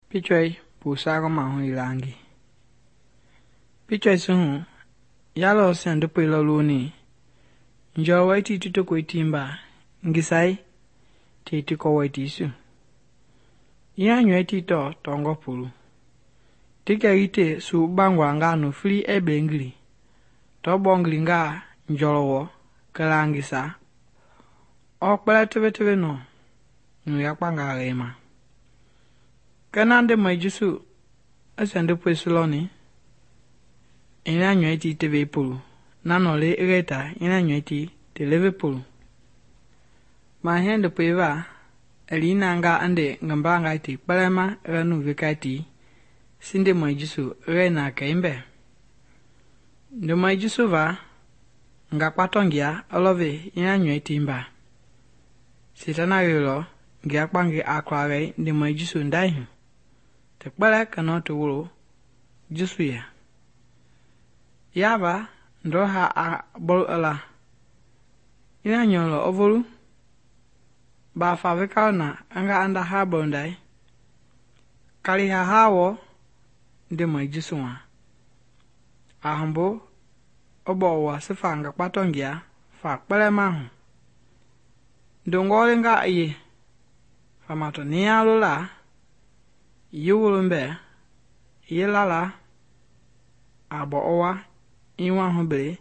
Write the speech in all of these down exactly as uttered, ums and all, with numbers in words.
Pichwei pu sago mahu ilangi. Pichwei suhu yalo sendupe loluni. Njo waiti tuto kuitimba ngisai titi ko waiti su. Ina nyweti to tongo pulu. Tika ite su bangwa nga no free e bengli. To bongli nga njolowo kelangisa. O kpele tebe tebe no. Nu yakpa nga rema. Kenande majisu esendupe suloni. Ina nyweti tebe pulu. Nano le reta ina nyweti televe pulu. Ma hende peva elina nga ande ngamba nga iti pelema renu vikati sinde majisu rena keimbe. Ndo majisu va nga patongia olove ina nyweti mba. Sitana rilo ngia kpangi akware ndi majisu ndaihu. Te kpele kano te wuro jisu ya. Yava ndo ha a bol ala. Ina nyolo ovolu. Ba favika na anga anda ha bondai. Kali ha hawo ndi majisu wa. Ahambo obo wa sifa nga patongia fa kpele mahu. Ndongole nga iye. Famato niya lula. Yiwulumbe. Yilala. Abo owa. Iwa hubele.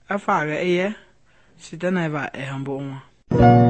Afa re iye. Sitana eva ehambo onwa.